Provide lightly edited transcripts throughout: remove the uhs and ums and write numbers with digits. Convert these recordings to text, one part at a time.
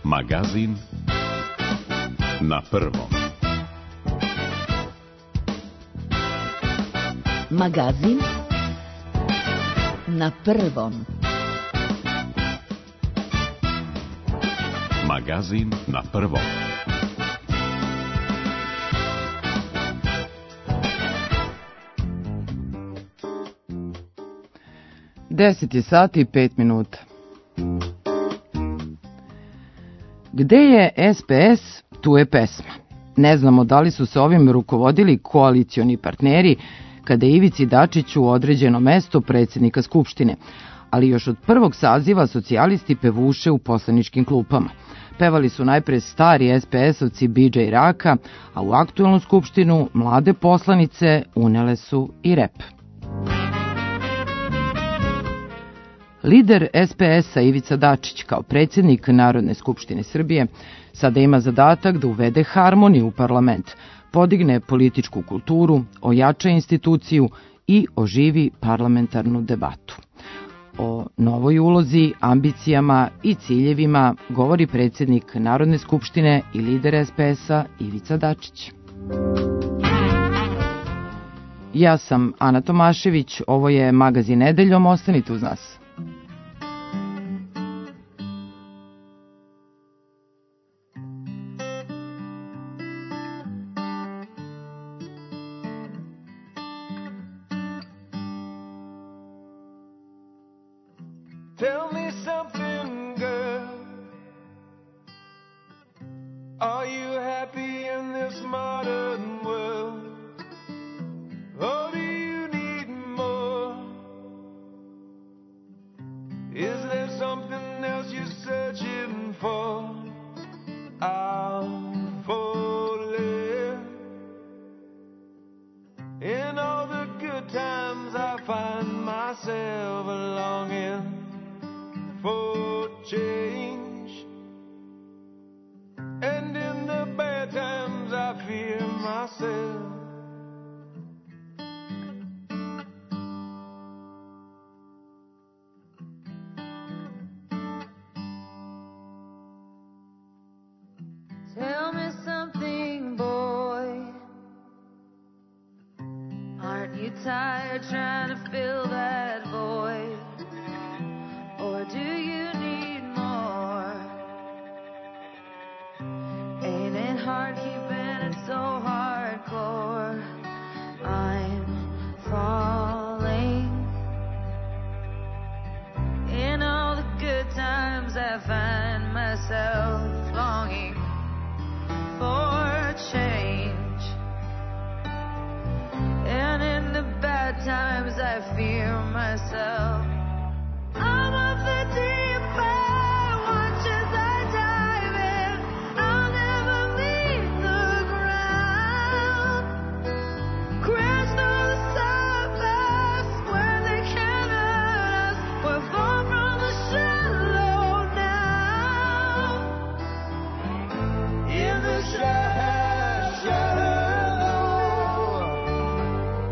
Magazin na prvom. Magazin na prvom. Magazin na prvom. Deset je sati i 5 minuta. Gde je SPS, tu je pesma. Ne znamo da li su se ovim rukovodili koalicioni partneri kada je Ivici Dačiću određeno mesto predsjednika Skupštine, ali još od prvog saziva socijalisti pevuše u poslaničkim klupama. Pevali su najpre stari SPS-ovci Bidža i Raka, a u aktuelnu skupštinu mlade poslanice unele su i rep. Lider SPS-a Ivica Dačić kao predsjednik Narodne skupštine Srbije sada ima zadatak da uvede harmoniju u parlament, podigne političku kulturu, ojača instituciju i oživi parlamentarnu debatu. O novoj ulozi, ambicijama i ciljevima govori predsjednik Narodne skupštine i lider SPS-a Ivica Dačić. Ja sam Ana Tomašević, ovo je Magazin nedeljom, ostanite uz nas. Tell me something, girl. Are you happy in this modern world? Or do you need more? Is there something else you're searching for? I'm falling. In all the good times I find myself longing for change, and in the bad times I fear myself. Tell me something, boy. Aren't you tired trying to fill that void? Or do you need more? Ain't it hard keeping it so hardcore? I'm falling. In all the good times I find myself longing for change, and in the bad times I fear myself. I'm of the deep end, watch as I dive in. I'll never meet the ground. Crash through the surface where they can't hurt us. We're far from the shallow now. In the shallow,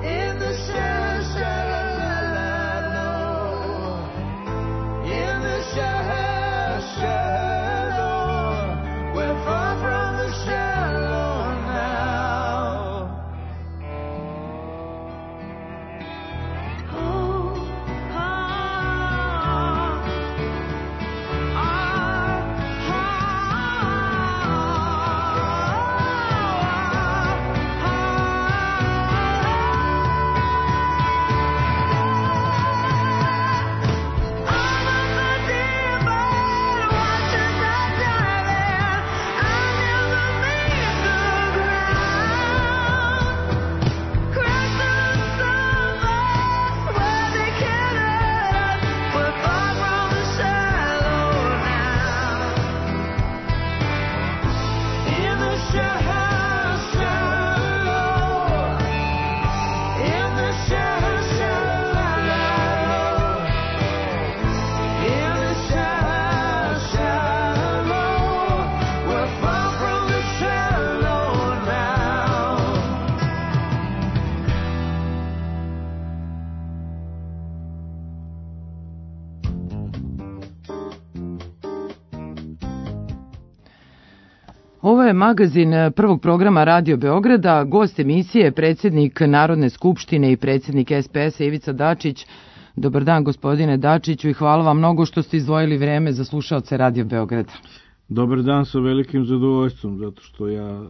in the shallow. Ovo je magazin prvog programa Radio Beograda. Gost emisije je predsjednik Narodne skupštine i predsjednik SPS-a Ivica Dačić. Dobar dan, gospodine Dačiću, i hvala vam mnogo što ste izdvojili vreme za slušaoce Radio Beograda. Dobar dan, sa velikim zadovoljstvom, zato što ja,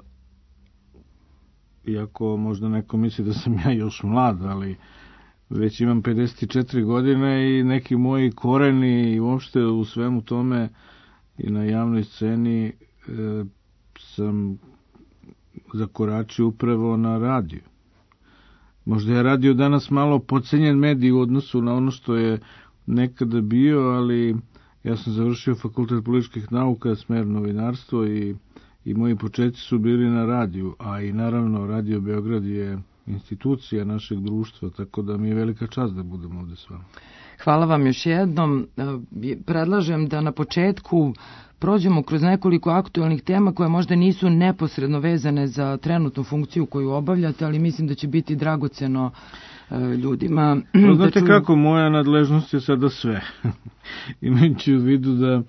iako možda neko misli da sam ja još mlad, ali već imam 54 godine i neki moji koreni i uopšte u svemu tome i na javnoj sceni sam zakoračio upravo na radiju. Možda je radio danas malo podcenjen medij u odnosu na ono što je nekada bio, ali ja sam završio fakultet političkih nauka, smer novinarstvo i moji početci su bili na radiju, a i naravno Radio Beograd je institucija našeg društva, tako da mi je velika čast da budem ovde s vama. Hvala vam još jednom. Predlažem da na početku prođemo kroz nekoliko aktualnih tema koje možda nisu neposredno vezane za trenutnu funkciju koju obavljate, ali mislim da će biti dragoceno ljudima. Znate kako, moja nadležnost je sada sve. Imajući u vidu da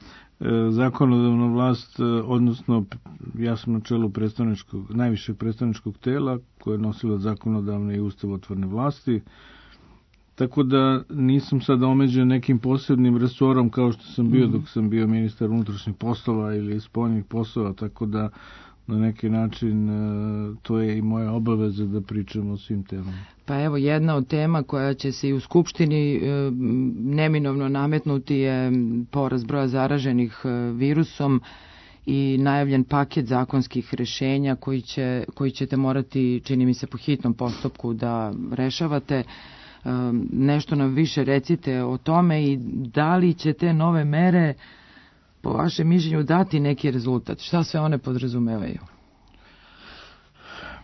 zakonodavna vlast, odnosno ja sam na čelu najvišeg predstavničkog tela koje je nosilo zakonodavne i ustavotvorne vlasti, tako da nisam sada omeđen nekim posebnim resorom kao što sam bio dok sam bio ministar unutrašnjih poslova ili spoljnih poslova, tako da na neki način to je i moja obaveza da pričam o svim temama. Pa evo, jedna od tema koja će se i u Skupštini neminovno nametnuti je porast broja zaraženih virusom i najavljen paket zakonskih rešenja koji ćete morati, čini mi se, po hitnom postupku da rešavate. Nešto nam više recite o tome i da li će te nove mere po vašem mišljenju dati neki rezultat? Šta sve one podrazumevaju?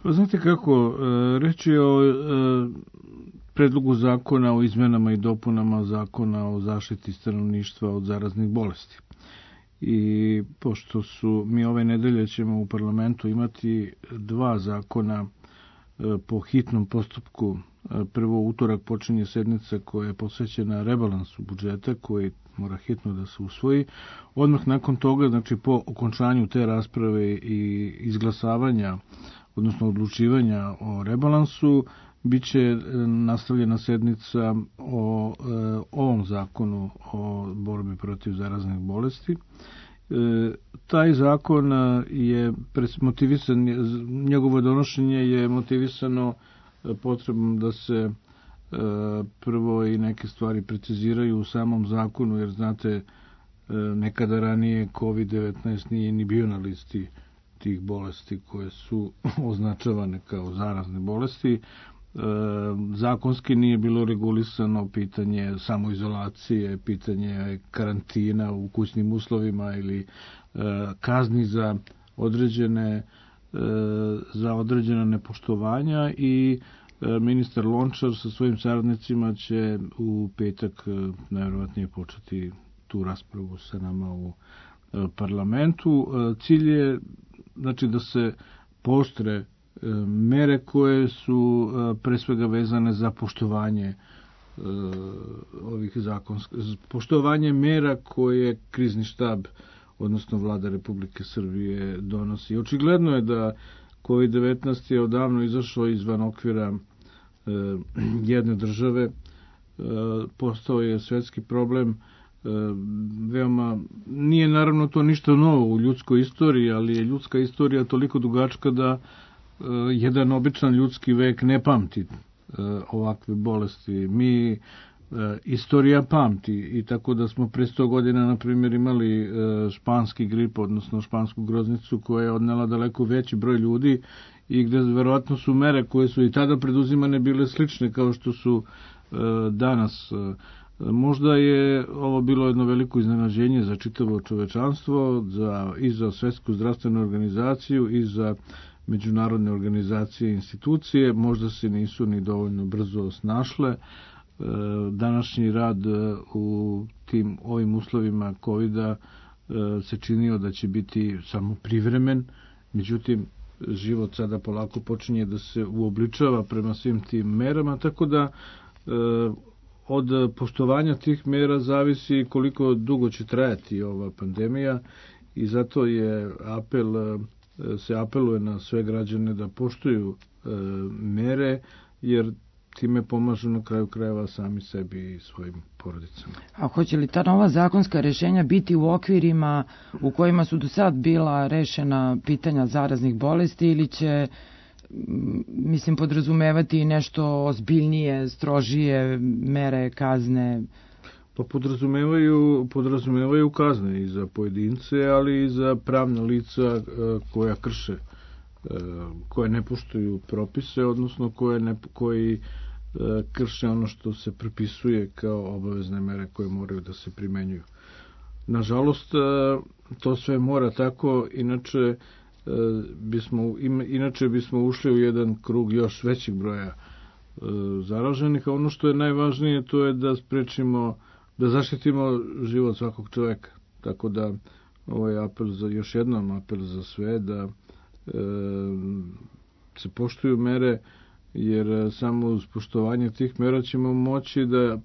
Pa znate kako, reč je o predlogu zakona o izmenama i dopunama zakona o zaštiti stanovništva od zaraznih bolesti. I pošto mi ove nedelje ćemo u parlamentu imati dva zakona po hitnom postupku. Prvo, utorak počinje sednica koja je posvećena rebalansu budžeta koji mora hitno da se usvoji. Odmah nakon toga, znači po okončanju te rasprave i izglasavanja, odnosno odlučivanja o rebalansu, bit će nastavljena sednica o ovom zakonu o borbi protiv zaraznih bolesti. Taj zakon je motivisan, njegovo donošenje je motivisano potrebom da se prvo i neke stvari preciziraju u samom zakonu, jer znate, nekada ranije COVID-19 nije ni bio na listi tih bolesti koje su označavane kao zarazne bolesti. Zakonski nije bilo regulisano pitanje samoizolacije, pitanje karantina u kućnim uslovima ili kazni za određena nepoštovanja i ministar Lončar sa svojim saradnicima će u petak najverovatnije početi tu raspravu sa nama u parlamentu. Cilj je znači da se pooštre mere koje su pre svega vezane za poštovanje ovih zakonskih, poštovanje mera koje krizni štab, odnosno vlada Republike Srbije donosi. Očigledno je da COVID-19 je odavno izašao izvan okvira jedne države, postao je svetski problem, veoma, nije naravno to ništa novo u ljudskoj istoriji, ali je ljudska istorija toliko dugačka da jedan običan ljudski vek ne pamti ovakve bolesti. Istorija pamti i tako da smo pre 100 godina, na primjer, imali španski grip, odnosno špansku groznicu koja je odnela daleko veći broj ljudi i gde verovatno su mere koje su i tada preduzimane bile slične kao što su danas. Možda je ovo bilo jedno veliko iznenađenje za čitavo čovečanstvo, i za Svetsku zdravstvenu organizaciju i za međunarodne organizacije i institucije. Možda se nisu ni dovoljno brzo snašle. Današnji rad u ovim uslovima COVID-a se činio da će biti samo privremen, međutim život sada polako počinje da se uobličava prema svim tim merama, tako da od poštovanja tih mera zavisi koliko dugo će trajati ova pandemija i zato je apel se apeluje na sve građane da poštuju mere, jer time pomažu na kraju krajeva sami sebi i svojim porodicama. A hoće li ta nova zakonska rešenja biti u okvirima u kojima su do sad bila rešena pitanja zaraznih bolesti ili će, mislim, podrazumevati i nešto ozbiljnije, strožije mere, kazne? Pa podrazumevaju kazne i za pojedince, ali i za pravna lica koja krše, koje ne poštuju propise, odnosno koji krše ono što se prepisuje kao obavezne mere koje moraju da se primenjuju. Nažalost, to sve mora tako, inače bismo ušli u jedan krug još većeg broja zaraženih, a ono što je najvažnije to je da sprečimo, da zaštitimo život svakog čoveka. Tako da ovaj apel još jednom apel za sve da se poštuju mere, jer samo uz poštovanje tih mera ćemo moći da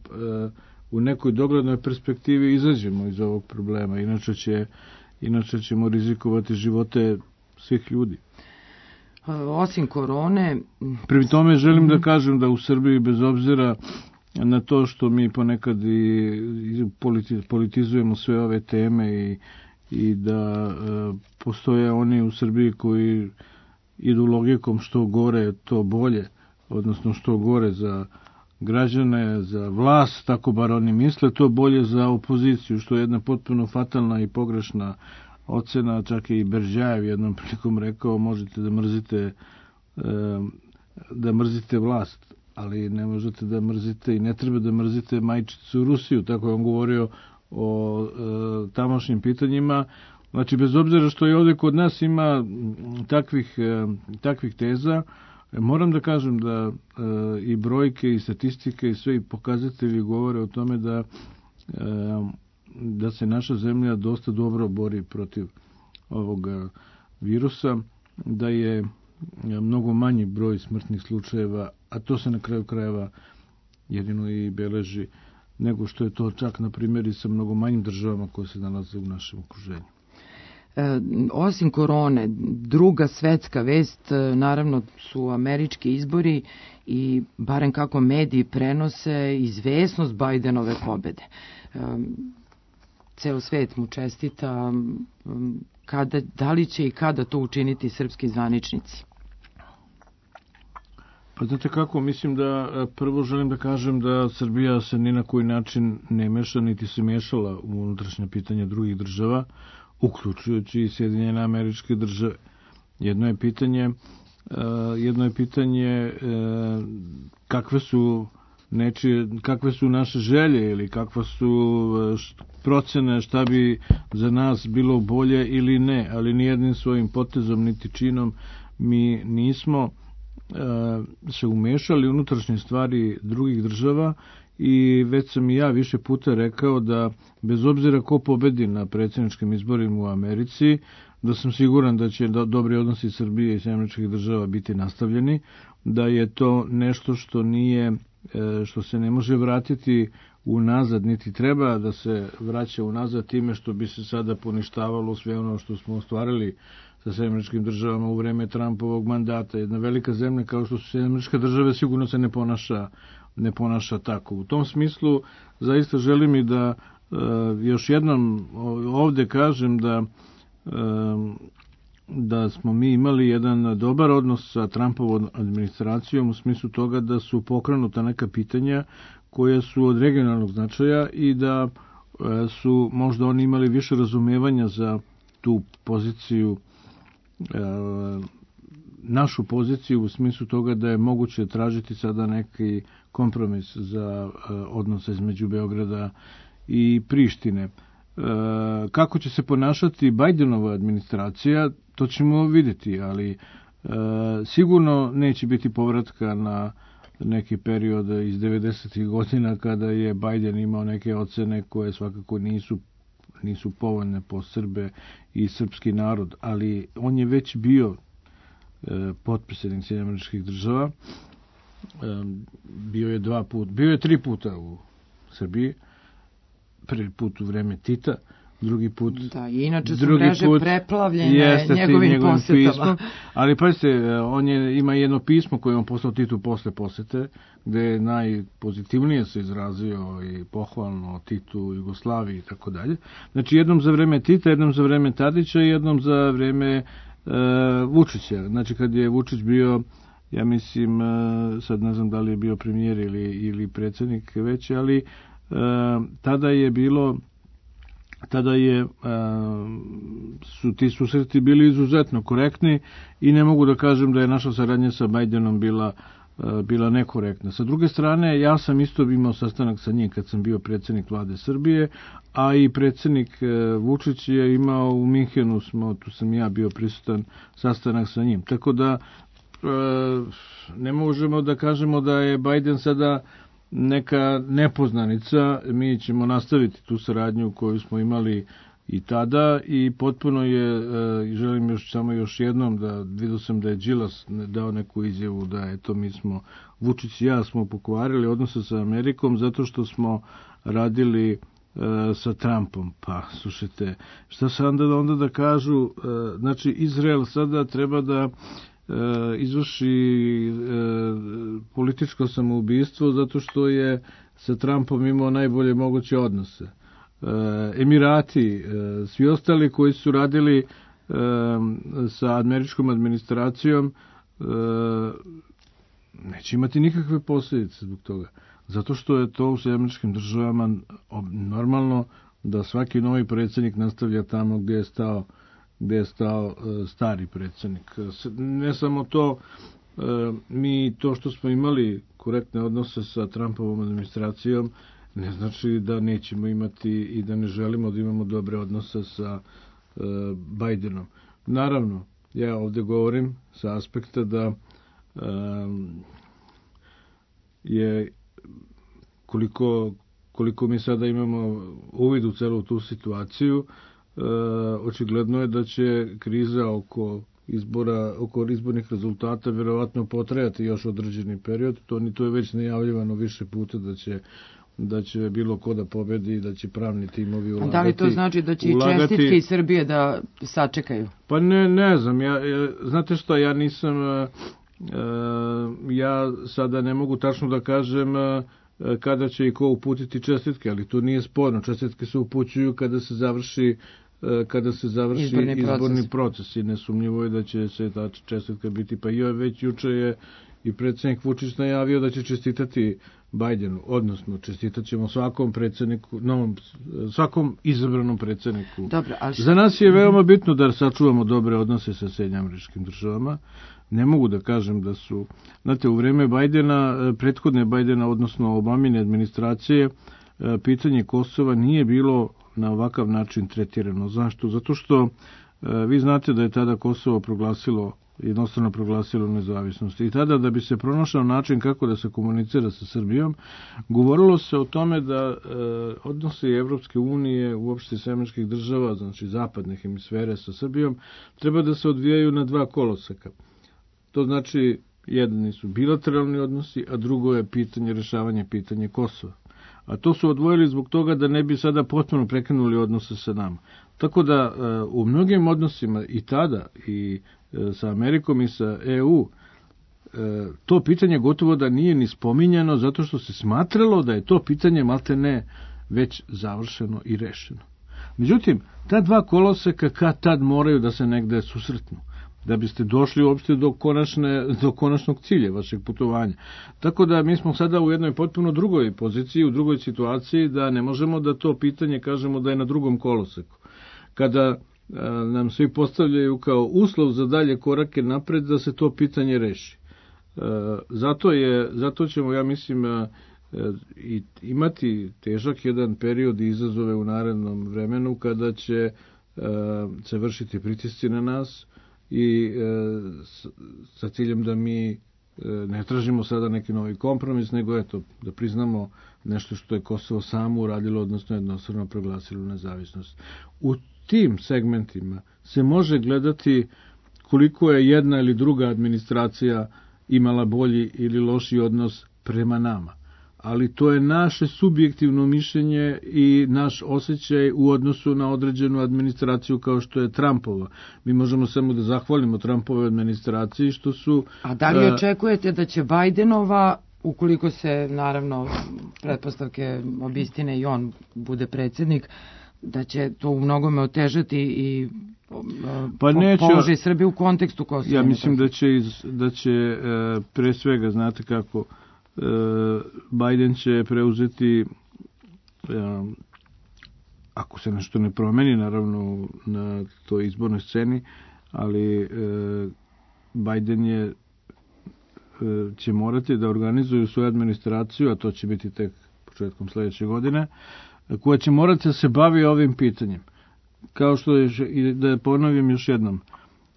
u nekoj doglednoj perspektivi izađemo iz ovog problema. Inače ćemo rizikovati živote svih ljudi. Osim korone... Pri tome želim da kažem da u Srbiji, bez obzira na to što mi ponekad i politizujemo sve ove teme i da postoje oni u Srbiji koji idu logikom što gore to bolje, odnosno što gore za građane, za vlast, tako bar oni misle, to bolje za opoziciju, što je jedna potpuno fatalna i pogrešna ocena. Čak i Berđajev jednom prilikom rekao, možete da mrzite vlast, ali ne možete da mrzite i ne treba da mrzite majčicu Rusiju, tako je on govorio o tamošnjim pitanjima. Znači, bez obzira što i ovdje kod nas ima takvih teza, moram da kažem da i brojke i statistike i sve i pokazatelji govore o tome da se naša zemlja dosta dobro bori protiv ovog virusa, da je mnogo manji broj smrtnih slučajeva, a to se na kraju krajeva jedino i beleži, nego što je to čak, na primjer, i sa mnogo manjim državama koje se nalaze u našem okruženju. Osim korone, druga svetska vest, naravno, su američki izbori i barem kako mediji prenose izvesnost Bajdenove pobede. Ceo svet mu čestita. Da li će i kada to učiniti srpski zvaničnici? Pa znate kako, mislim da prvo želim da kažem da Srbija se ni na koji način ne meša, niti se mešala u unutrašnje pitanja drugih država, uključujući i Sjedinjene Američke Države. Jedno je pitanje kakve su naše želje ili kakva su procene šta bi za nas bilo bolje ili ne, ali nijednim svojim potezom niti činom mi nismo se umešali unutrašnje stvari drugih država i već sam i ja više puta rekao da bez obzira ko pobedi na predsjedničkim izborima u Americi, da sam siguran da će dobri odnosi Srbije i Američkih država biti nastavljeni, da je to nešto što se ne može vratiti unazad, niti treba da se vraća unazad time što bi se sada poništavalo sve ono što smo ostvarili sa Američkim državama u vreme Trumpovog mandata. Jedna velika zemlja kao što su Američke države sigurno se ne ponaša tako. U tom smislu zaista želim i da još jednom ovde kažem da smo mi imali jedan dobar odnos sa Trumpovom administracijom u smislu toga da su pokrenuta neka pitanja koja su od regionalnog značaja i da su možda oni imali više razumevanja za tu poziciju, našu poziciju u smislu toga da je moguće tražiti sada neki kompromis za odnose između Beograda i Prištine. Kako će se ponašati Bajdenova administracija, to ćemo vidjeti, ali sigurno neće biti povratka na neki period iz 90. godina kada je Bajden imao neke ocene koje svakako nisu povoljne po Srbe i srpski narod, ali on je već bio potpredsjednik Sjedinjenih Američkih Država, bio je 3 puta u Srbiji, prvi put u vreme Tita, drugi put. Da, i inače su mreže preplavljene njegovim posetama. Pismom, ali pazite, ima jedno pismo koje on poslao Titu posle posete, gde je najpozitivnije se izrazio i pohvalno o Titu, Jugoslaviji i tako dalje. Znači, jednom za vreme Tita, jednom za vreme Tadića i jednom za vreme Vučića. Znači, kad je Vučić bio, ja mislim, sad ne znam da li je bio premijer ili predsjednik već, ali su ti susreti bili izuzetno korektni i ne mogu da kažem da je naša saradnja sa Bajdenom bila nekorektna. Sa druge strane, ja sam isto imao sastanak sa njim kad sam bio predsjednik vlade Srbije, a i predsjednik Vučić je imao u Minhenu, tu sam ja bio prisutan, sastanak sa njim. Tako da ne možemo da kažemo da je Bajden sada neka nepoznanica. Mi ćemo nastaviti tu saradnju koju smo imali i tada i potpuno je, želim još jednom da vidio sam da je Đilas dao neku izjavu da eto mi smo, Vučić i ja smo pokvarili odnose sa Amerikom zato što smo radili sa Trumpom. Pa, slušajte, šta se onda da kažu, znači Izrael sada treba da izvrši političko samoubistvo zato što je sa Trumpom imao najbolje moguće odnose. Emirati, svi ostali koji su radili sa američkom administracijom neće imati nikakve posljedice zbog toga. Zato što je to u američkim državama normalno da svaki novi predsjednik nastavlja tamo gdje je stao stari predsjednik. Ne samo to, mi to što smo imali korektne odnose sa Trumpovom administracijom ne znači da nećemo imati i da ne želimo da imamo dobre odnose sa Bajdenom. Naravno, ja ovdje govorim sa aspekta da je koliko mi sada imamo uvid u celu tu situaciju, očigledno je da će kriza oko izbornih rezultata verovatno potrajati još određeni period. To je već najavljivano više puta da će bilo ko da pobedi i da će pravni timovi ulagati. Da li to znači da će i čestitke iz Srbije da sačekaju? Pa ne znam. Znate što, ja nisam... ja sada ne mogu tačno da kažem kada će i ko uputiti čestitke, ali to nije sporno. Čestitke se upućuju kada se završi izborni proces i nesumnjivo je da će se ta čestitka biti. Pa već juče je i predsjednik Vučić najavio da će čestitati Bajdenu, odnosno čestitat ćemo svakom predsjedniku, svakom izabranom predsjedniku. Dobro, za nas je veoma bitno da sačuvamo dobre odnose sa Sjedinjenim Američkim Državama. Ne mogu da kažem da su, znate, u vreme Bajdena, prethodne Bajdena, odnosno Obamine administracije, pitanje Kosova nije bilo na ovakav način tretirano. Zašto? Zato što vi znate da je tada Kosovo jednostavno proglasilo nezavisnost. I tada da bi se pronašao način kako da se komunicira sa Srbijom, govorilo se o tome da odnosi Evropske unije, uopšte Američkih država, znači zapadne hemisfere sa Srbijom, treba da se odvijaju na dva koloseka. To znači, jedni su bilateralni odnosi, a drugo je rešavanje pitanja Kosova. A to su odvojili zbog toga da ne bi sada potpuno prekinuli odnose sa nama. Tako da u mnogim odnosima i tada i sa Amerikom i sa EU to pitanje gotovo da nije ni spominjano zato što se smatralo da je to pitanje maltene već završeno i rešeno. Međutim, ta dva koloseka kad tad moraju da se negde susretnu da biste došli uopšte do konačnog cilja vašeg putovanja. Tako da mi smo sada u jednoj potpuno drugoj poziciji, u drugoj situaciji, da ne možemo da to pitanje kažemo da je na drugom koloseku. Kada nam svi postavljaju kao uslov za dalje korake napred da se to pitanje reši. Zato ćemo, ja mislim, imati težak jedan period i izazove u narednom vremenu kada će se vršiti pritisci na nas i sa ciljem da mi ne tražimo sada neki novi kompromis, nego da priznamo nešto što je Kosovo samo uradilo, odnosno jednostavno proglasilo nezavisnost. U tim segmentima se može gledati koliko je jedna ili druga administracija imala bolji ili loši odnos prema nama. ali to je naše subjektivno mišljenje i naš osjećaj u odnosu na određenu administraciju kao što je Trumpova. Mi možemo samo da zahvalimo Trumpovoj administraciji što su... A da li očekujete da će Bajdenova, ukoliko se, naravno, pretpostavke obistine i on bude predsjednik, da će to u mnogome otežati i položaj Srbije u kontekstu Kosova? Ja mislim da će pre svega, znate kako, Biden će preuzeti, ako se nešto ne promeni, naravno na toj izbornoj sceni, ali Biden će morati da organizuju svoju administraciju, a to će biti tek početkom sledeće godine, koja će morati da se bavi ovim pitanjem. Kao što je, i da ponovim još jednom,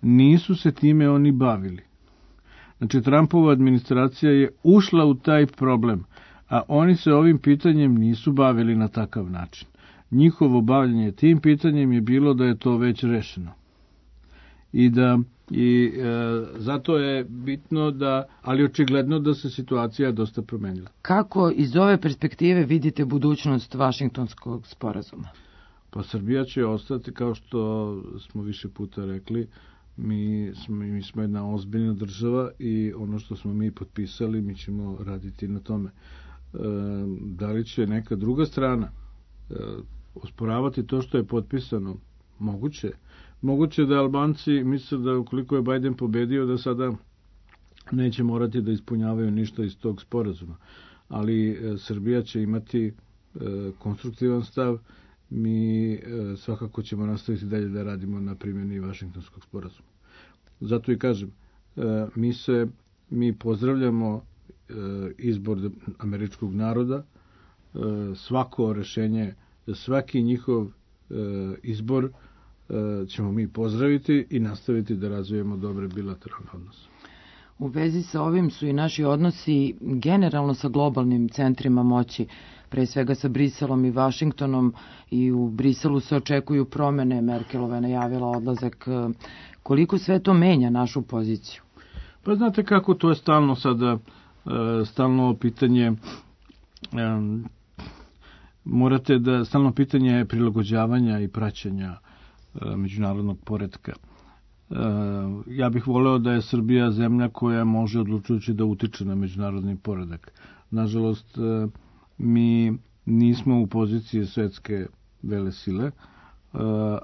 nisu se time oni bavili. Znači, Trumpova administracija je ušla u taj problem, a oni se ovim pitanjem nisu bavili na takav način. Njihovo bavljanje tim pitanjem je bilo da je to već rešeno. I zato je bitno da, ali očigledno da se situacija dosta promenila. Kako iz ove perspektive vidite budućnost Vašingtonskog sporazuma? Pa Srbija će ostati, kao što smo više puta rekli, mi smo jedna ozbiljna država i ono što smo mi potpisali, mi ćemo raditi na tome. Da li će neka druga strana osporavati to što je potpisano? Moguće. Moguće da Albanci misle da ukoliko je Biden pobedio da sada neće morati da ispunjavaju ništa iz tog sporazuma. Ali Srbija će imati konstruktivan stav. Mi svakako ćemo nastaviti dalje da radimo na primjeni Vašingtonskog sporazuma. Zato i kažem, mi pozdravljamo izbor američkog naroda, svako rešenje, svaki njihov izbor ćemo mi pozdraviti i nastaviti da razvijemo dobre bilateralne odnose. U vezi sa ovim su i naši odnosi generalno sa globalnim centrima moći, pre svega sa Briselom i Vašingtonom, i u Briselu se očekuju promene. Merkelova je najavila odlazak. Koliko sve to menja našu poziciju? Pa znate kako, to je stalno sada, stalno pitanje, morate da, stalno pitanje prilagođavanja i praćenja međunarodnog poretka. Ja bih voleo da je Srbija zemlja koja može odlučujući da utiče na međunarodni poredak. Nažalost, mi nismo u poziciji svetske velesile,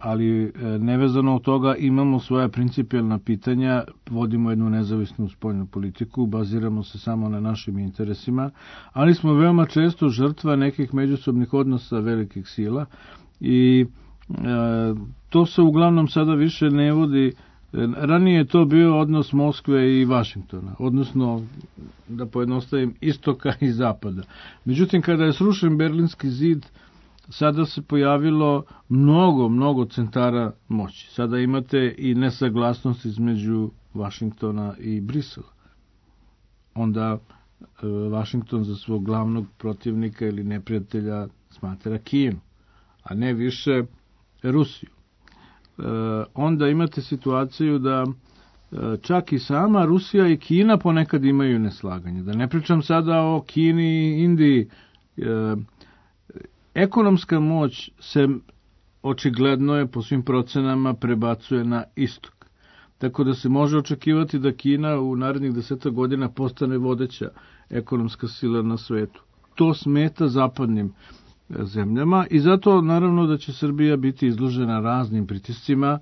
ali nevezano od toga imamo svoja principijelna pitanja, vodimo jednu nezavisnu spoljnu politiku, baziramo se samo na našim interesima, ali smo veoma često žrtva nekih međusobnih odnosa velikih sila i to se uglavnom sada više ne vodi. Ranije je to bio odnos Moskve i Vašingtona, odnosno, da pojednostavim, istoka i zapada. Međutim, kada je srušen Berlinski zid, sada se pojavilo mnogo centara moći. Sada imate i nesaglasnost između Vašingtona i Brisela. Onda Vašington za svog glavnog protivnika ili neprijatelja smatra Kinu, a ne više Rusiju. Onda imate situaciju da čak i sama Rusija i Kina ponekad imaju neslaganje. Da ne pričam sada o Kini i Indiji. Ekonomska moć se očigledno je po svim procenama prebacuje na istok. Tako da se može očekivati da Kina u narednih 10 godina postane vodeća ekonomska sila na svetu. To smeta zapadnim zemljama i zato naravno da će Srbija biti izložena raznim pritiscima,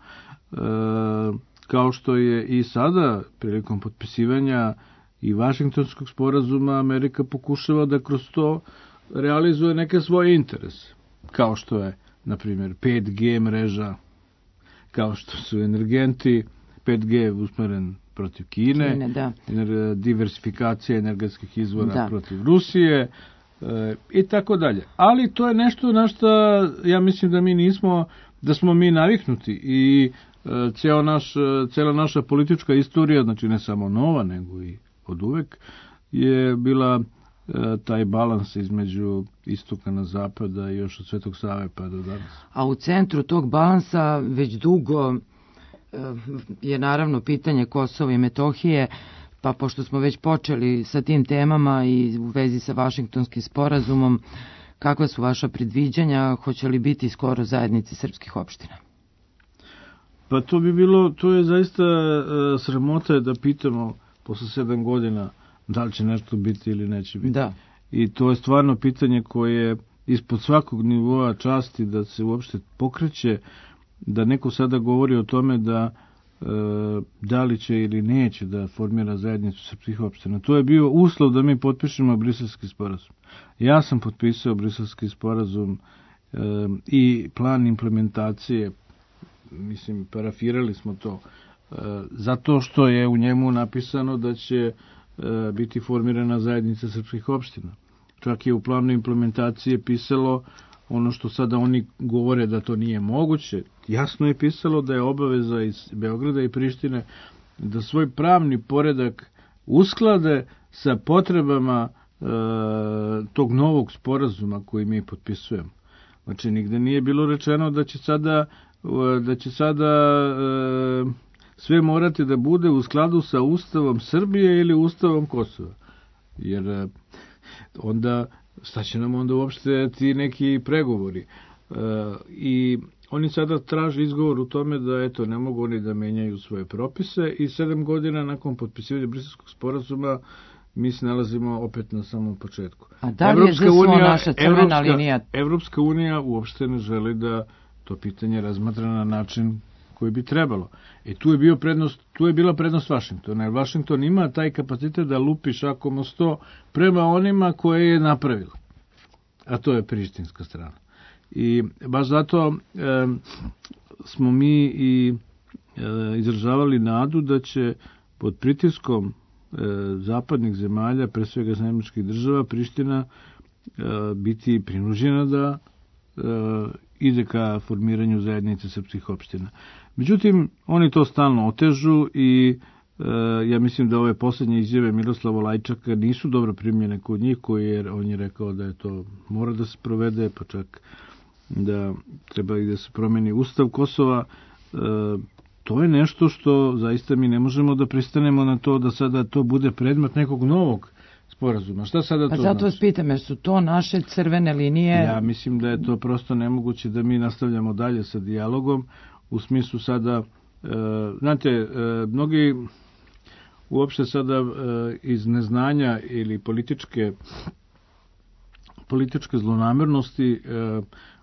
kao što je i sada prilikom potpisivanja i Vašingtonskog sporazuma Amerika pokušava da kroz to realizuje neke svoje interese, kao što je, na primjer, 5G mreža, kao što su energenti, 5G usmeren protiv Kine, diversifikacija energetskih izvora protiv Rusije, i tako dalje. Ali to je nešto na što ja mislim da smo mi naviknuti i cijela naša politička istorija, znači ne samo nova, nego i od uvek, je bila taj balans između istoka na zapada i još od Svetog Save pa do danas. A u centru tog balansa već dugo je naravno pitanje Kosova i Metohije. Pa pošto smo već počeli sa tim temama i u vezi sa Vašingtonskim sporazumom, kakva su vaša predviđanja, hoće li biti skoro zajednice srpskih opština? Pa to je zaista sramota da pitamo posle 7 godina da li će nešto biti ili neće biti. Da. I to je stvarno pitanje koje je ispod svakog nivoa časti da se uopšte pokreće, da neko sada govori o tome da li će ili neće da formira zajednicu srpskih opština. To je bio uslov da mi potpišemo Briselski sporazum. Ja sam potpisao Briselski sporazum i plan implementacije, mislim, parafirali smo to, zato što je u njemu napisano da će biti formirana zajednica srpskih opština. Čak je u planu implementacije pisalo ono što sada oni govore da to nije moguće. Jasno je pisalo da je obaveza iz Beograda i Prištine da svoj pravni poredak usklade sa potrebama tog novog sporazuma koji mi potpisujemo. Znači, nigde nije bilo rečeno da će sada sve morati da bude u skladu sa Ustavom Srbije ili Ustavom Kosova. Jer onda, šta će nam onda uopšte ti neki pregovori? I oni sada traže izgovor u tome da, eto, ne mogu oni da menjaju svoje propise i 7 godina nakon potpisivanja Briselskog sporazuma mi se nalazimo opet na samom početku. A da li je ZSO naša crvena linija? Evropska unija uopšte ne želi da to pitanje razmatra na način koji bi trebalo. Tu je bila prednost Vašingtona, jer Vašington ima taj kapacitet da lupi šakom o 100 prema onima koje je napravila. A to je prištinska strana. I baš zato smo mi i izražavali nadu da će pod pritiskom zapadnih zemalja, pre svega Američkih država, Priština biti prinuđena da ide ka formiranju zajednice srpskih opština. Međutim, oni to stalno otežu i ja mislim da ove poslednje izjave Miroslava Lajčaka nisu dobro primljene kod njih, jer on je rekao da je to mora da se provede, pa čak da treba i da se promeni Ustav Kosova. To je nešto što zaista mi ne možemo da pristanemo na to da sada to bude predmet nekog novog sporazuma. Šta sada to znači? Zato vas pitam, jer su to naše crvene linije? Ja mislim da je to prosto nemoguće da mi nastavljamo dalje sa dijalogom, u smislu sada, znate, mnogi uopšte sada iz neznanja ili političke zlonamernosti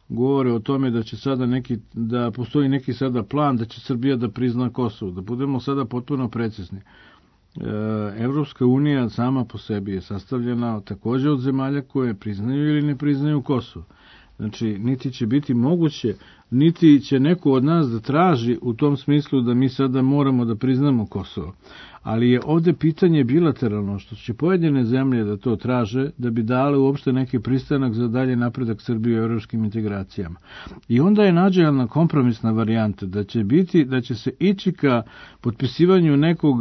govore o tome da će sada da postoji neki sada plan da će Srbija da prizna Kosovo. Da budemo sada potpuno precizni. Evropska unija sama po sebi je sastavljena takođe od zemalja koje priznaju ili ne priznaju Kosovo. Znači, niti će biti moguće, niti će neko od nas da traži u tom smislu da mi sada moramo da priznamo Kosovo. Ali je ovde pitanje bilateralno, što će pojedine zemlje da to traže, da bi dale uopšte neki pristanak za dalje napredak Srbije u evropskim integracijama. I onda je nađena kompromisna varijanta da će se ići ka potpisivanju nekog,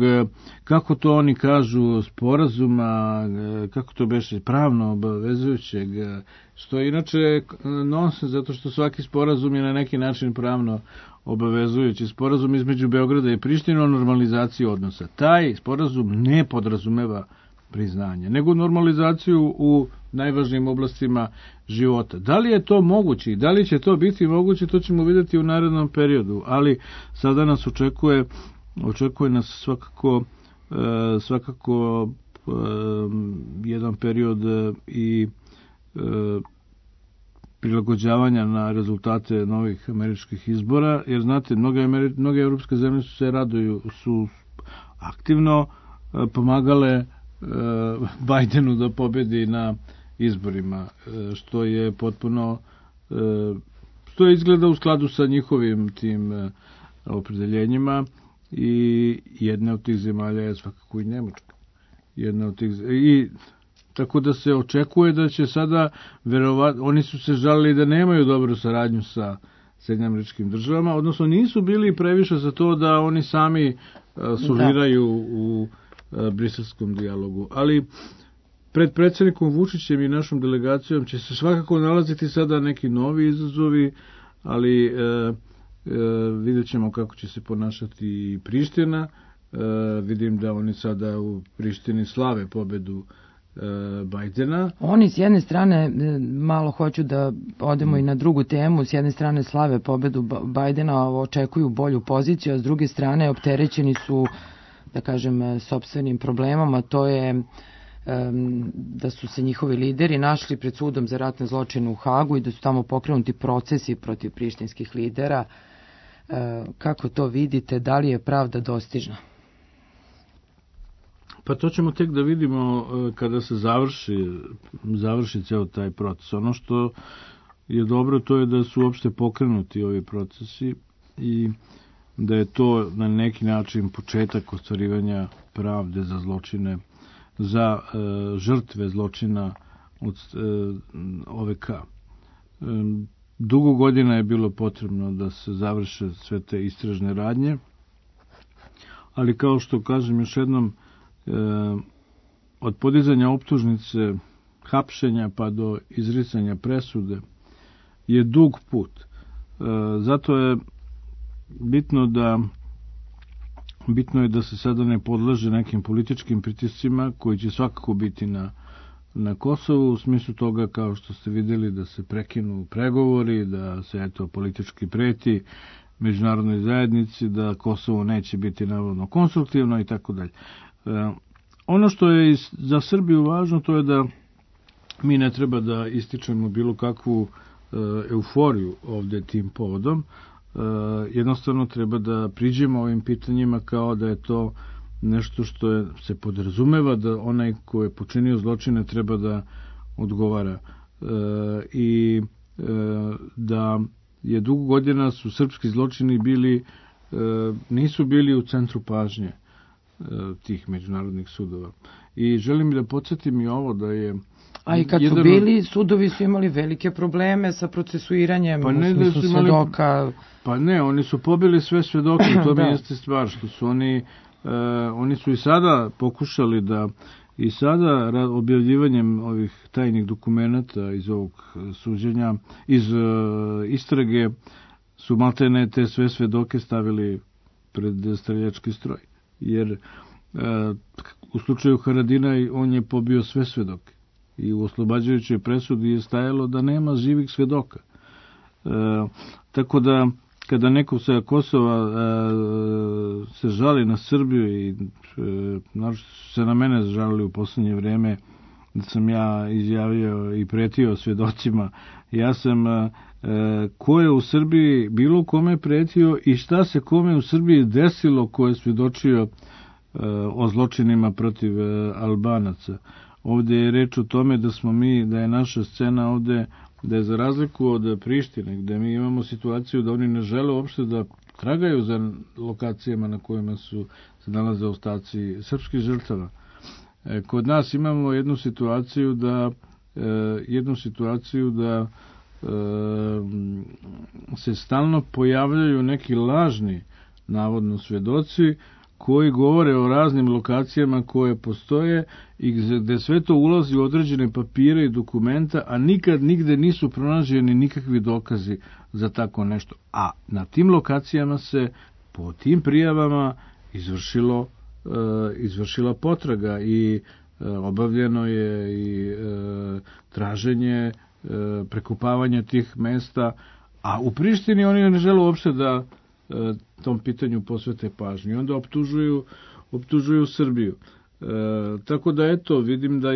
kako to oni kažu, sporazuma, kako to beše, pravno obavezujućeg, što je inače nonsens, zato što svaki sporazum je na neki način pravno obavezujući. Sporazum između Beograda i Prištine o normalizaciji odnosa. Taj sporazum ne podrazumeva priznanje, nego normalizaciju u najvažnijim oblastima života. Da li je to moguće i da li će to biti moguće, to ćemo vidjeti u narednom periodu, ali sada nas očekuje nas svakako jedan period i prilagođavanja na rezultate novih američkih izbora, jer znate, mnoge evropske zemlje su aktivno pomagale Bajdenu da pobedi na izborima, što je potpuno, što izgleda u skladu sa njihovim tim opredeljenjima, i jedna od tih zemalja je svakako i Nemačka. Tako da se očekuje da će sada, oni su se žalili da nemaju dobru saradnju sa Sjedinjenim Američkim Državama, odnosno nisu bili previše za to da oni sami sužiraju u briselskom dijalogu. Ali pred predsjednikom Vučićem i našom delegacijom će se svakako nalaziti sada neki novi izazovi, ali vidjet ćemo kako će se ponašati i Priština Vidim da oni sada u Prištini slave pobedu Bajdena. Oni s jedne strane, malo hoću da odemo i na drugu temu, s jedne strane slave pobedu Bajdena, očekuju bolju poziciju, a s druge strane opterećeni su, da kažem, sopstvenim problemom, a to je da su se njihovi lideri našli pred sudom za ratne zločine u Hagu i da su tamo pokrenuti procesi protiv prištinskih lidera. Kako to vidite, da li je pravda dostižna? Pa to ćemo tek da vidimo kada se završi ceo taj proces. Ono što je dobro, to je da su uopšte pokrenuti ovi procesi i da je to na neki način početak ostvarivanja pravde za zločine, za žrtve zločina od OVK. Dugo godina je bilo potrebno da se završe sve te istražne radnje, ali kao što kažem još jednom, od podizanja optužnice, hapšenja pa do izricanja presude je dug put. Zato je bitno je da se sada ne podlaže nekim političkim pritiscima koji će svakako biti na Kosovu, u smislu toga, kao što ste videli, da se prekinu pregovori, da se politički preti međunarodnoj zajednici, da Kosovo neće biti navodno konstruktivno i tako dalje. Ono što je za Srbiju važno, to je da mi ne treba da ističemo bilo kakvu euforiju ovde tim povodom. Jednostavno treba da priđemo ovim pitanjima kao da je to nešto što se podrazumeva, da onaj ko je počinio zločine treba da odgovara. I da je dugo godina su srpski zločini nisu bili u centru pažnje tih međunarodnih sudova. I želim da podsjetim i ovo da je... A i kad su bili, sudovi su imali velike probleme sa procesuiranjem, u smislu svedoka. Pa ne, oni su pobili sve svedoke, to mi jeste stvar, što su oni su i sada pokušali da, i sada objavljivanjem ovih tajnih dokumenata iz ovog suđenja, iz istrage, su maltene te sve svedoke stavili pred streljački stroj. Jer u slučaju Haradinaj on je pobio sve svedoke. I u oslobađajućoj presudi je stajalo da nema živih svedoka. Tako da, kada neko sa Kosova se žali na Srbiju i se na mene žalili u poslednje vreme, da sam ja izjavio i pretio svedocima, ja sam ko je u Srbiji bilo kome pretio i šta se kome u Srbiji desilo ko je svedočio o zločinima protiv Albanaca. Ovde je reč o tome da je naša scena ovde, da je za razliku od Prištine, gde mi imamo situaciju da oni ne žele uopšte da tragaju za lokacijama na kojima se nalaze ostaci srpskih žrtava. Kod nas imamo jednu situaciju da se stalno pojavljaju neki lažni, navodno, svedoci koji govore o raznim lokacijama koje postoje i gde sve to ulazi u određene papire i dokumenta, a nikad nigde nisu pronađeni nikakvi dokazi za tako nešto. A na tim lokacijama se po tim prijavama izvršila potraga i obavljeno je i traženje, prekopavanje tih mesta, a u Prištini oni ne žele uopšte da tom pitanju posvete pažnju. Onda optužuju Srbiju. Tako da eto, vidim da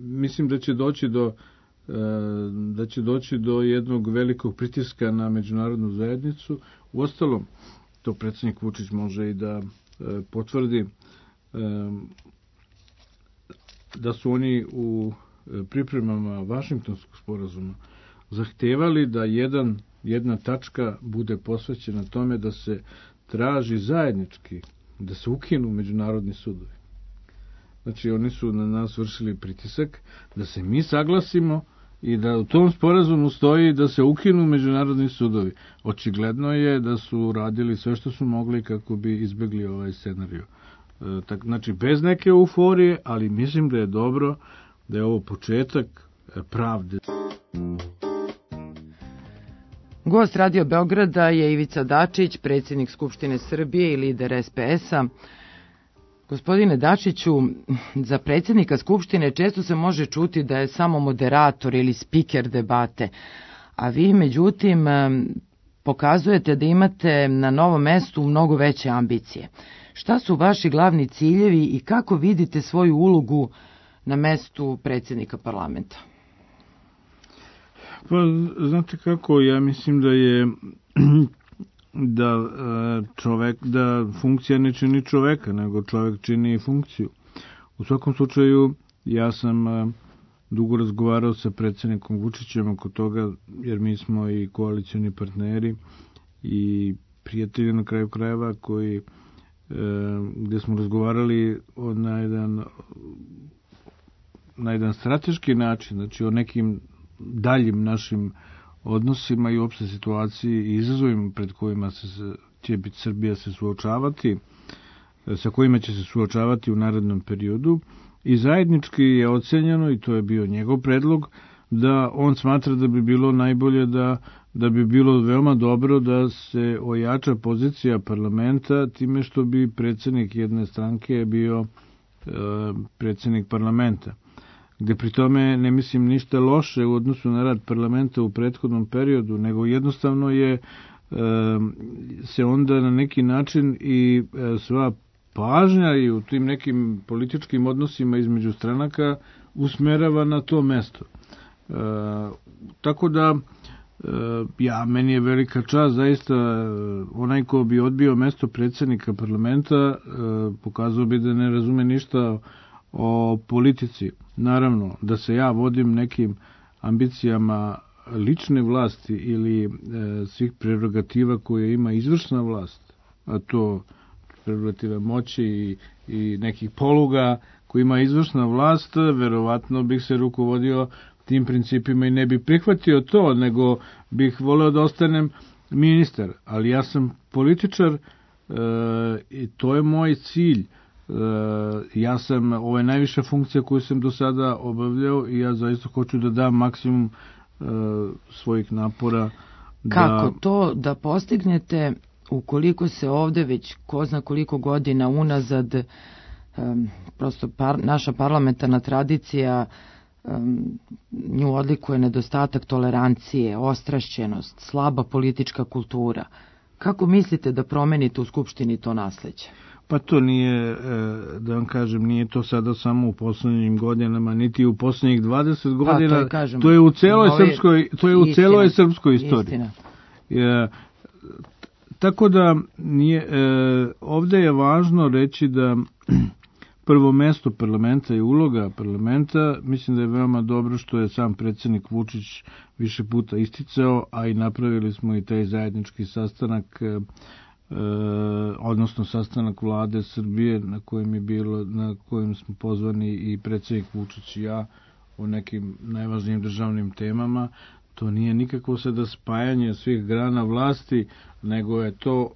mislim da će doći do jednog velikog pritiska na međunarodnu zajednicu. Uostalom, to predsjednik Vučić može i da potvrdi da su oni u pripremama Vašingtonskog sporazuma zahtevali da jedna tačka bude posvećena tome da se traži zajednički, da se ukinu međunarodni sudovi. Znači, oni su na nas vršili pritisak da se mi saglasimo i da u tom sporazumu stoji da se ukinu međunarodni sudovi. Očigledno je da su radili sve što su mogli kako bi izbegli ovaj scenariju. Znači, bez neke euforije, ali mislim da je dobro da je ovo početak pravde. Gost Radio Beograda je Ivica Dačić, predsjednik Skupštine Srbije i lider SPS-a. Gospodine Dačiću, za predsjednika Skupštine često se može čuti da je samo moderator ili spiker debate, a vi međutim pokazujete da imate na novom mestu mnogo veće ambicije. Šta su vaši glavni ciljevi i kako vidite svoju ulogu na mestu predsjednika parlamenta? Pa, znate kako, ja mislim da je da funkcija ne čini čoveka, nego čovek čini funkciju. U svakom slučaju, ja sam dugo razgovarao sa predsjednikom Vučićem oko toga, jer mi smo i koalicioni partneri i prijatelji na kraju krajeva koji gde smo razgovarali na jedan strateški način, znači o nekim daljim našim odnosima i uopšte situaciji i izazovima pred kojima će biti Srbija se suočavati, sa kojima će se suočavati u narednom periodu, i zajednički je ocenjeno, i to je bio njegov predlog, da on smatra da bi bilo najbolje da bi bilo veoma dobro da se ojača pozicija parlamenta time što bi predsjednik jedne stranke bio predsjednik parlamenta, gde pri tome ne mislim ništa loše u odnosu na rad parlamenta u prethodnom periodu, nego jednostavno se onda na neki način i sva pažnja i u tim nekim političkim odnosima između stranaka usmerava na to mesto. Tako da meni je velika čast, zaista onaj ko bi odbio mesto predsjednika parlamenta pokazao bi da ne razume ništa o politici. Naravno, da se ja vodim nekim ambicijama lične vlasti ili svih prerogativa koje ima izvršna vlast, a to prerogative moći i nekih poluga koje ima izvršna vlast, verovatno bih se rukovodio tim principima i ne bih prihvatio to, nego bih voleo da ostanem ministar. Ali ja sam političar i to je moj cilj. Ja sam, ovo je najviša funkcija koju sam do sada obavljao i ja zaista hoću da dam maksimum svojih napora. Kako to da postignete ukoliko se ovde već ko zna koliko godina unazad prosto naša parlamentarna tradicija nju odlikuje nedostatak tolerancije, ostrašćenost, slaba politička kultura. Kako mislite da promenite u Skupštini to nasleđe? Pa to nije, da vam kažem, nije to sada samo u poslednjim godinama, niti u poslednjih 20 godina, to je u celoj srpskoj istoriji. Tako da ovde je važno reći da prvo mesto parlamenta i uloga parlamenta, mislim da je veoma dobro što je sam predsjednik Vučić više puta isticao, a i napravili smo i taj zajednički sastanak, odnosno sastanak vlade Srbije na kojem smo pozvani i predsjednik Vučić i ja o nekim najvažnijim državnim temama. To nije nikako sada spajanje svih grana vlasti, nego je to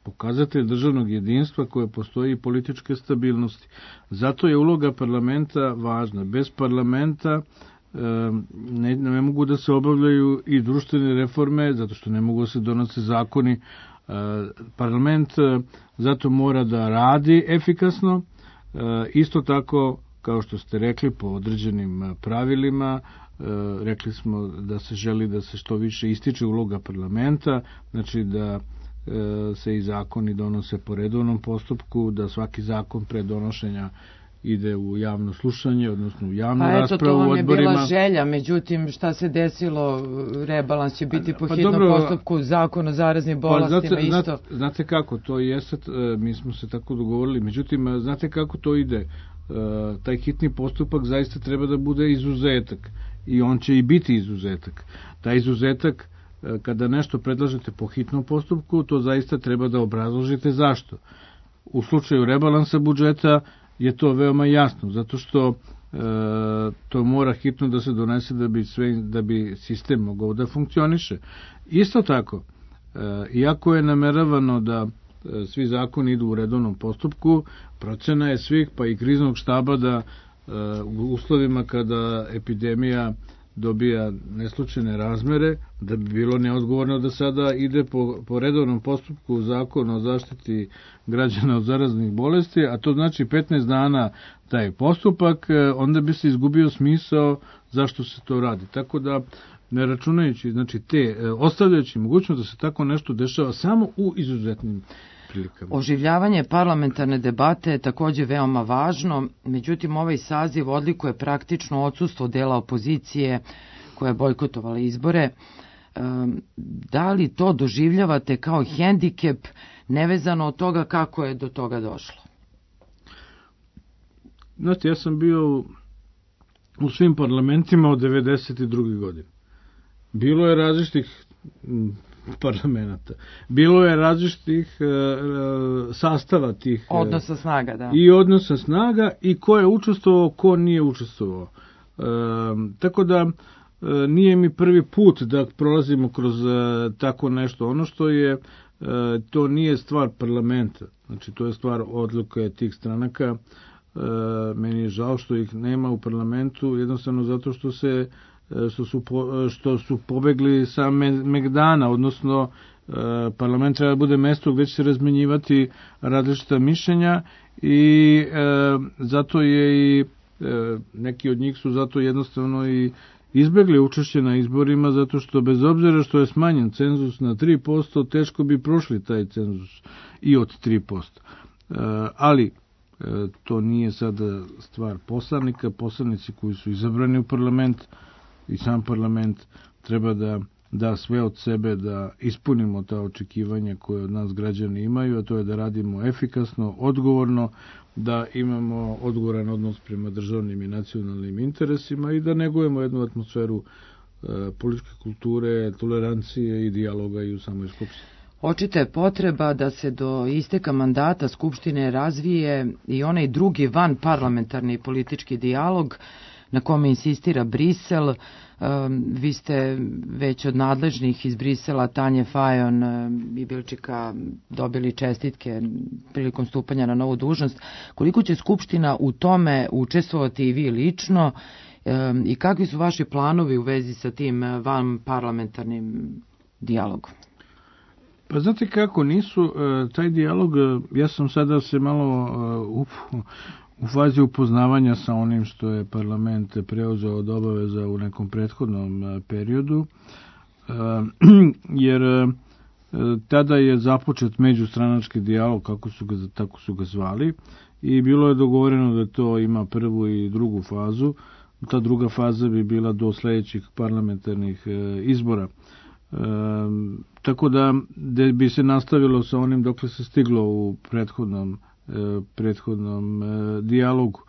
pokazatelj državnog jedinstva koje postoji i političke stabilnosti. Zato je uloga parlamenta važna. Bez parlamenta ne mogu da se obavljaju i društvene reforme, zato što ne mogu da se donose zakoni. Parlament zato mora da radi efikasno, isto tako, kao što ste rekli, po određenim pravilima. Rekli smo da se želi da se što više ističe uloga parlamenta, znači da se i zakoni donose po redovnom postupku, da svaki zakon pre donošenja ide u javno slušanje, odnosno u javnu raspravu u odborima. To vam je bila želja, međutim šta se desilo, rebalans će biti po hitnom postupku, zakon o zaraznim bolestima isto. Znate kako, to jeste, mi smo se tako dogovorili, međutim, znate kako to ide, taj hitni postupak zaista treba da bude izuzetak i on će i biti izuzetak. Taj izuzetak, kada nešto predlažete po hitnom postupku, to zaista treba da obrazložite zašto. U slučaju rebalansa budžeta je to veoma jasno, zato što to mora hitno da se donese da bi sistem mogao da funkcioniše. Isto tako, iako je nameravano da svi zakoni idu u redovnom postupku, procena je svih, pa i kriznog štaba, da u uslovima kada epidemija dobija neslučajne razmere, da bi bilo neodgovorno da sada ide po redovnom postupku zakona o zaštiti građana od zaraznih bolesti, a to znači 15 dana taj postupak, onda bi se izgubio smisao zašto se to radi. Tako da, ne računajući, znači ostavljajući mogućnost da se tako nešto dešava samo u izuzetnim prilikama. Oživljavanje parlamentarne debate je takođe veoma važno, međutim ovaj saziv odlikuje praktično odsustvo dela opozicije koja je bojkotovala izbore. Da li to doživljavate kao hendikep, nevezano od toga kako je do toga došlo? Znate, ja sam bio u svim parlamentima od 92. godine. Bilo je različitih parlamenta. Bilo je različitih sastava tih odnosa snaga, da. I odnosa snaga i ko je učestvovao, ko nije učestvovao. Tako da nije mi prvi put da prolazimo kroz tako nešto. Ono što je, to nije stvar parlamenta. Znači, to je stvar odluke tih stranaka. Meni je žao što ih nema u parlamentu, jednostavno zato što su pobegli sa Megdana, odnosno parlament treba da bude mesto gde će se razmenjivati različita mišljenja i zato je i neki od njih su zato jednostavno i izbegli učešće na izborima, zato što bez obzira što je smanjen cenzus na 3%, teško bi prošli taj cenzus i od 3%. Ali to nije sada stvar poslanika. Poslanici koji su izabrani u parlament i sam parlament treba da da sve od sebe da ispunimo ta očekivanja koje od nas građani imaju, a to je da radimo efikasno, odgovorno, da imamo odgovoran odnos prema državnim i nacionalnim interesima i da negujemo jednu atmosferu političke kulture, tolerancije i dijaloga i u samoj Skupštini. Očita je potreba da se do isteka mandata Skupštine razvije i onaj drugi van parlamentarni politički dijalog na kome insistira Brisel. Vi ste već od nadležnih iz Brisela, Tanje Fajon i Bilčika, dobili čestitke prilikom stupanja na novu dužnost. Koliko će Skupština u tome učestvovati i vi lično i kakvi su vaši planovi u vezi sa tim van parlamentarnim dijalogom? Pa znate kako, nisu taj dijalog, ja sam sada se malo u fazi upoznavanja sa onim što je parlament preuzeo od obaveza u nekom prethodnom periodu, jer tada je započet međustranački dijalog, tako su ga zvali, i bilo je dogovoreno da to ima prvu i drugu fazu. Ta druga faza bi bila do sledećih parlamentarnih izbora. Tako da bi se nastavilo sa onim dokle se stiglo u prethodnom dijalogu.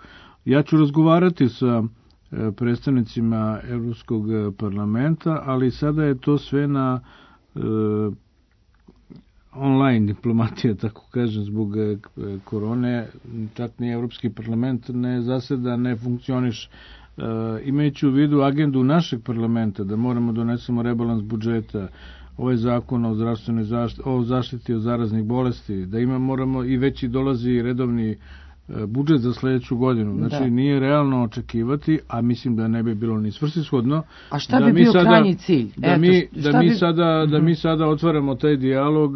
Ja ću razgovarati sa predstavnicima Evropskog parlamenta, ali sada je to sve na online diplomatija, tako kažem, zbog korone. Čak ni Evropski parlament ne zaseda, ne funkcioniš. Imajući u vidu agendu našeg parlamenta da moramo donesemo rebalans budžeta, ovaj zakon o zdravstvenoj zaštiti, o zaštiti od zaraznih bolesti, da moramo i već i dolazi redovni budžet za sledeću godinu. Znači, nije realno očekivati, a mislim da ne bi bilo ni svrsishodno. A šta bi bio krajnji cilj? Da mi sada otvaramo taj dijalog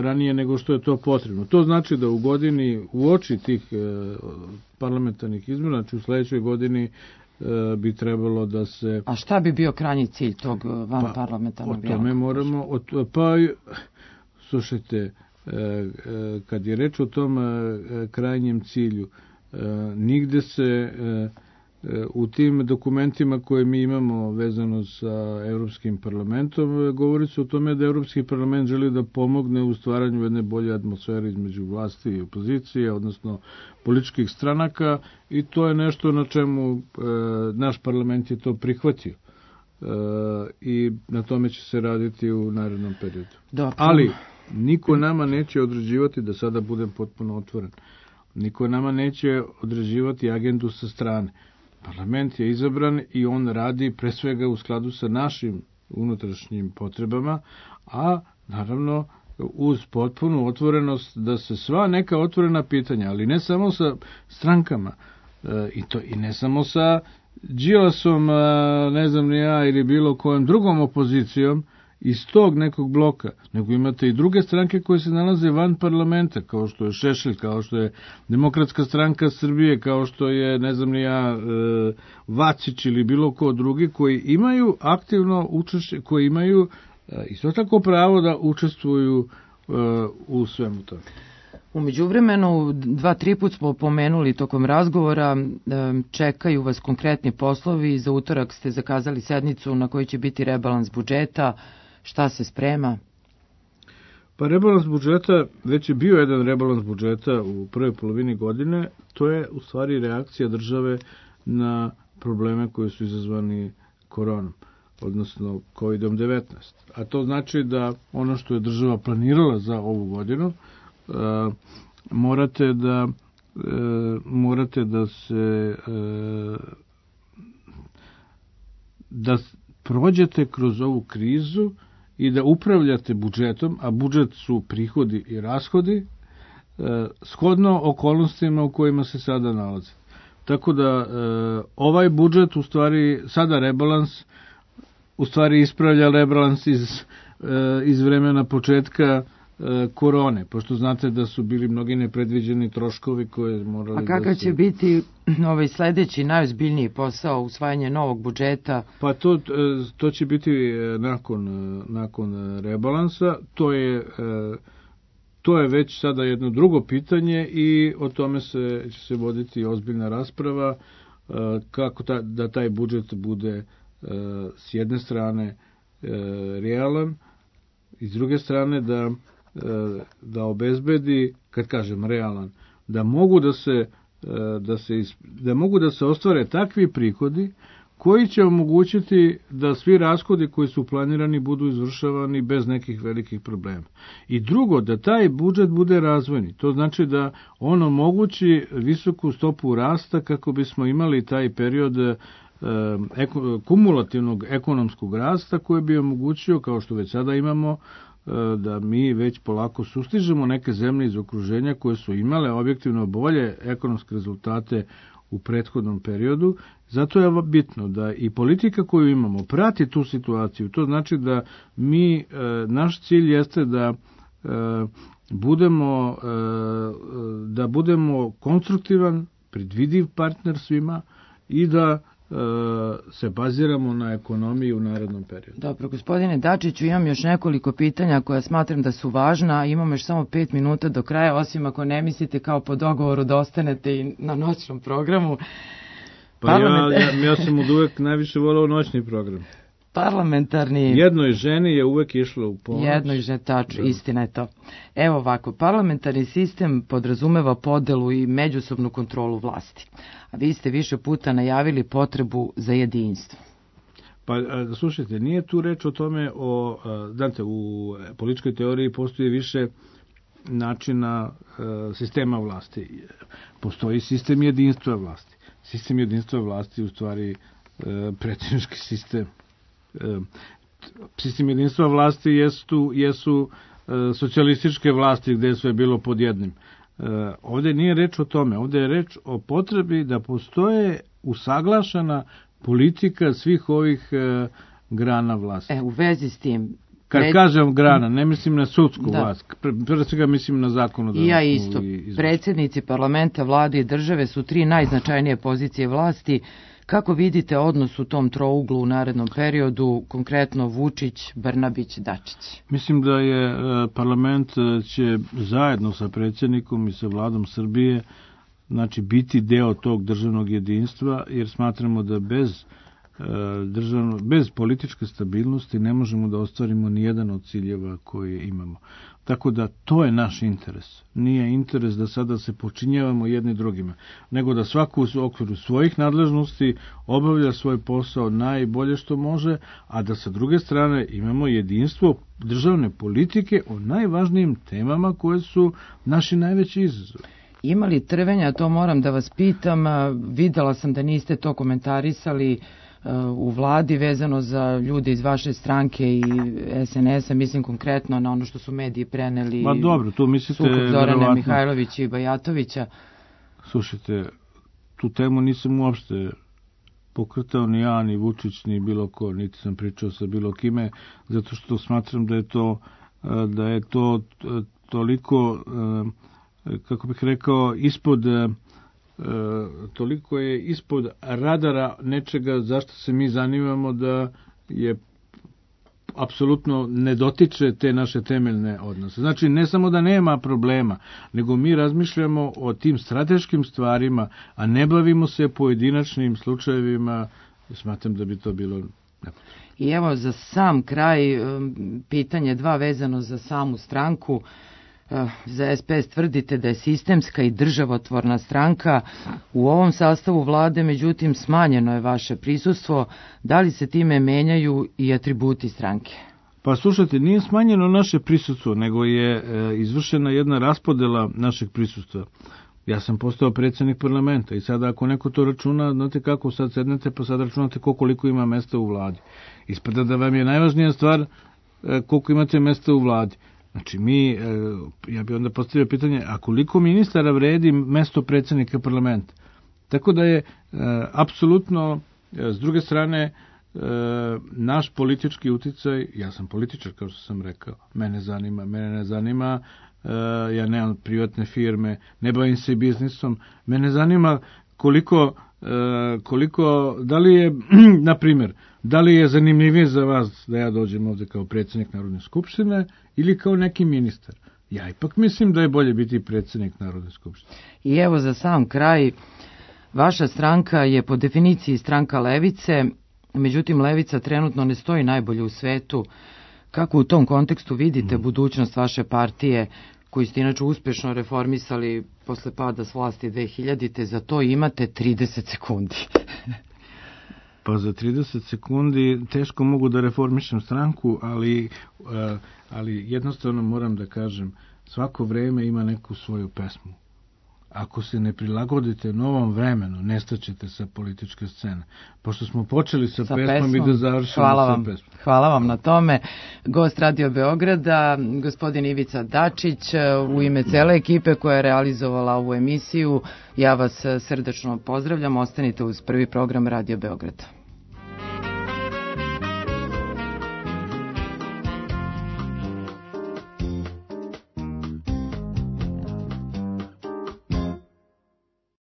ranije nego što je to potrebno. To znači da u godini, u oči tih parlamentarnih izbora, znači u sledećoj godini bi trebalo da se... A šta bi bio krajnji cilj tog van parlamentarnog dijaloga? O tome moramo... Slušajte, kad je reč o tom krajnjem cilju, nigde se u tim dokumentima koje mi imamo vezano sa Evropskim parlamentom, govori se o tome da Evropski parlament želi da pomogne u stvaranju jedne bolje atmosfere između vlasti i opozicije, odnosno političkih stranaka, i to je nešto na čemu naš parlament je to prihvatio. I na tome će se raditi u narednom periodu. Ali niko nama neće određivati, da sada budem potpuno otvoren, niko nama neće određivati agendu sa strane. Parlament je izabran i on radi pre svega u skladu sa našim unutrašnjim potrebama, a naravno uz potpunu otvorenost da se sva neka otvorena pitanja, ali ne samo sa strankama, i ne samo sa Đilasom, ne znam ni ja, ili bilo kojom drugom opozicijom iz tog nekog bloka, nego imate i druge stranke koje se nalaze van parlamenta, kao što je Šešelj, kao što je Demokratska stranka Srbije, kao što je, ne znam ni ja, Vacić ili bilo ko drugi, koji imaju aktivno učešće, koji imaju isto tako pravo da učestvuju u svemu tome. U međuvremenu, 2-3 put smo pomenuli tokom razgovora, čekaju vas konkretni poslovi, za utorak ste zakazali sednicu na kojoj će biti rebalans budžeta, šta se sprema? Pa rebalans budžeta, već je bio jedan rebalans budžeta u prvoj polovini godine, to je u stvari reakcija države na probleme koji su izazvani koronom, odnosno COVID-19. A to znači da ono što je država planirala za ovu godinu, morate da se da prođete kroz ovu krizu i da upravljate budžetom, a budžet su prihodi i rashodi, shodno okolnostima u kojima se sada nalaze. Tako da ovaj budžet, u stvari, sada rebalans, u stvari ispravlja rebalans iz vremena početka korone, pošto znate da su bili mnogi nepredviđeni troškovi koje morali da se... A kakav će biti ovaj sledeći najozbiljniji posao, usvajanje novog budžeta? Pa to će biti nakon rebalansa. To je već sada jedno drugo pitanje i o tome će se voditi ozbiljna rasprava, kako da taj budžet bude s jedne strane realan i s druge strane da obezbedi, kad kažem realan, da mogu da se ostvare takvi prihodi koji će omogućiti da svi rashodi koji su planirani budu izvršavani bez nekih velikih problema. I drugo, da taj budžet bude razvojni. To znači da on omogući visoku stopu rasta kako bismo imali taj period kumulativnog ekonomskog rasta koji bi omogućio, kao što već sada imamo, da mi već polako sustižemo neke zemlje iz okruženja koje su imale objektivno bolje ekonomske rezultate u prethodnom periodu. Zato je bitno da i politika koju imamo prati tu situaciju. To znači da naš cilj jeste da budemo konstruktivan, predvidiv partner svima i da se baziramo na ekonomiji u narednom periodu. Dobro, gospodine Dačiću, imam još nekoliko pitanja koja smatram da su važna. Imamo još samo 5 minuta do kraja, osim ako ne mislite kao po dogovoru da ostanete i na noćnom programu. Pa ja sam od uvek najviše volao noćni program. Parlamentarni... Jednoj ženi je uvek išlo u pomoć. Jednoj ženi, tačno, istina je to. Evo ovako, parlamentarni sistem podrazumeva podelu i međusobnu kontrolu vlasti. A vi ste više puta najavili potrebu za jedinstvo. Pa, slušajte, nije tu reč o tome, znate, u političkoj teoriji postoji više načina sistema vlasti. Postoji sistem jedinstva vlasti. Sistem jedinstva vlasti u stvari predsjednički sistem. Sistem jedinstva vlasti jesu socijalističke vlasti gde je sve bilo pod jednim. Ovdje nije reč o tome, ovdje je reč o potrebi da postoje usaglašena politika svih ovih grana vlasti. U vezi s tim... Kad kažem grana, ne mislim na sudsku vlast, pre svega mislim na zakonodavnu. I ja isto. Predsjednici parlamenta, vlade i države su 3 najznačajnije pozicije vlasti. Kako vidite odnos u tom trouglu u narednom periodu, konkretno Vučić, Brnabić, Dačić? Mislim da je parlament će zajedno sa predsjednikom i sa vladom Srbije biti deo tog državnog jedinstva, jer smatramo da bez političke stabilnosti ne možemo da ostvarimo ni jedan od ciljeva koje imamo. Tako da to je naš interes. Nije interes da sada se počinjavamo jedni drugima, nego da svako u okviru svojih nadležnosti obavlja svoj posao najbolje što može, a da sa druge strane imamo jedinstvo državne politike o najvažnijim temama koje su naši najveći izazovi. Ima li trvenja, to moram da vas pitam, videla sam da niste to komentarisali u vladi vezano za ljude iz vaše stranke i SNS-a, mislim konkretno na ono što su mediji preneli. Ma dobro, tu mislite sukob Zorana Mihajlovića i Bajatovića. Slušajte, tu temu nisam uopšte pokretao ni ja, ni Vučić, ni bilo ko, niti sam pričao sa bilo kime, zato što smatram da je to toliko, kako bih rekao, toliko je ispod radara nečega zašto se mi zanimamo, da je apsolutno ne dotiče te naše temeljne odnose. Znači, ne samo da nema problema, nego mi razmišljamo o tim strateškim stvarima, a ne bavimo se pojedinačnim slučajevima. Smatram da bi to bilo... I evo za sam kraj pitanje 2 vezano za samu stranku. Za SPS tvrdite da je sistemska i državotvorna stranka. U ovom sastavu vlade, međutim, smanjeno je vaše prisustvo. Da li se time menjaju i atributi stranke? Pa slušajte, nije smanjeno naše prisustvo, nego je izvršena jedna raspodela našeg prisustva. Ja sam postao predsjednik parlamenta i sada ako neko to računa, znate kako, sad sednete pa sad računate koliko ima mesta u vladi. Ispada da vam je najvažnija stvar koliko imate mesta u vladi. Znači ja bih onda postavio pitanje, a koliko ministara vredi mesto predsjednika parlamenta? Tako da je apsolutno, s druge strane, naš politički uticaj, ja sam političar kao što sam rekao, mene ne zanima, ja nemam privatne firme, ne bavim se biznisom, mene zanima koliko, da li je, na primjer, da li je zanimljivije za vas da ja dođem ovde kao predsjednik Narodne skupštine ili kao neki ministar. Ja ipak mislim da je bolje biti predsjednik Narodne skupštine. I evo za sam kraj, vaša stranka je po definiciji stranka levice, međutim levica trenutno ne stoji najbolje u svetu. Kako u tom kontekstu vidite budućnost vaše partije, koju ste inače uspešno reformisali posle pada s vlasti 2000-te, za to imate 30 sekundi. Pa za 30 sekundi teško mogu da reformišem stranku, ali jednostavno moram da kažem, svako vreme ima neku svoju pesmu. Ako se ne prilagodite novom vremenu, nestaćete sa političke scene. Pošto smo počeli sa pesmom i da završimo sa pesmom. Hvala vam na tome. Gost Radio Beograda, gospodin Ivica Dačić, u ime cele ekipe koja je realizovala ovu emisiju, ja vas srdačno pozdravljam. Ostanite uz prvi program Radio Beograda.